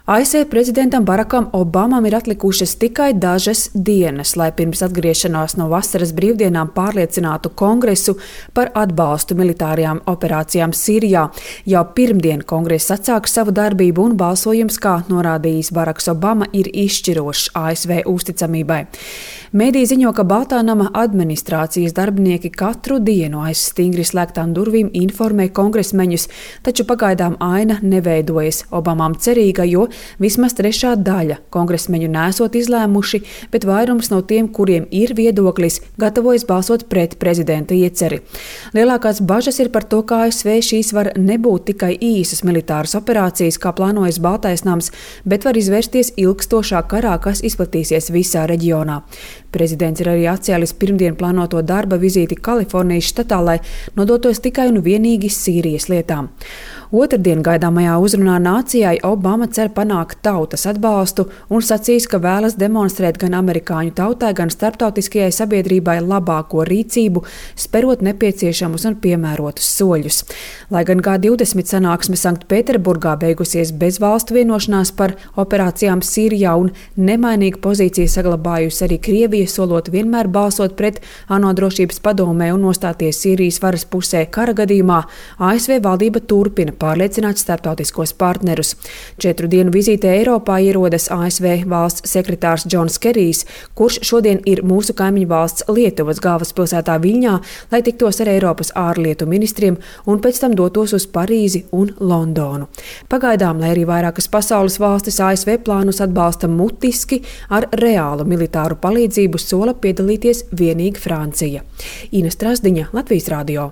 ASV prezidentam Barackam Obamam ir atlikušas tikai dažas dienas, lai pirms atgriešanās no vasaras brīvdienām pārliecinātu Kongresu par atbalstu militārajām operācijām Sīrijā. Jau pirmdien Kongress atsāka savu darbību un balsojums, kā norādījis Baracks Obama, ir izšķirošs ASV uzticamībai. Mēdī ziņo, ka Baltā nama administrācijas darbinieki katru dienu aiz stingri slēgtām durvīm informē kongresmeņus, taču pagaidām aina neveidojas Obamām cerīga, jo vismaz trešā daļa kongresmeņu nesot izlēmuši, bet vairums no tiem, kuriem ir viedoklis, gatavojas balsot pret prezidenta ieceri. Lielākās bažas ir par to, ka ASV šīs var nebūt tikai īsas militāras operācijas, kā plānojas Baltais nams, bet var izvērsties ilgstošā karā, kas izplatīsies visā reģionā. Prezidents ir arī atcēlis pirmdien plānoto darba vizīti Kalifornijas štatā, lai nodotos tikai un vienīgi Sīrijas lietām. Otrdien gaidāmajā uzrunā nācijai Obama cer panākt tautas atbalstu un sacīs, ka vēlas demonstrēt gan amerikāņu tautai, gan starptautiskajai sabiedrībai labāko rīcību, sperot nepieciešamus un piemērotus soļus. Lai gan G20 sanāksme Sanktpēterburgā beigusies bez valstu vienošanās par operācijām Sīrijā un nemainīgu pozīciju saglabājusi arī Krievija, solot vienmēr balsot pret ANO drošības padomē un nostāties Sīrijas varas pusē kara gadījumā, ASV valdība turpina pārliecināt starptautiskos partnerus. 4 dienu vizītē Eiropā ierodas ASV valsts sekretārs Džons Kerijs, kurš šodien ir mūsu kaimiņu valsts Lietuvas galvaspilsētā Viļņā, lai tiktos ar Eiropas ārlietu ministriem un pēc tam dotos uz Parīzi un Londonu. Pagaidām, lai arī vairākas pasaules valstis ASV plānus atbalsta mutiski, ar reālu militāru palīdzību sola piedalīties vienīgi Francija. Ina Strasdiņa, Latvijas radio.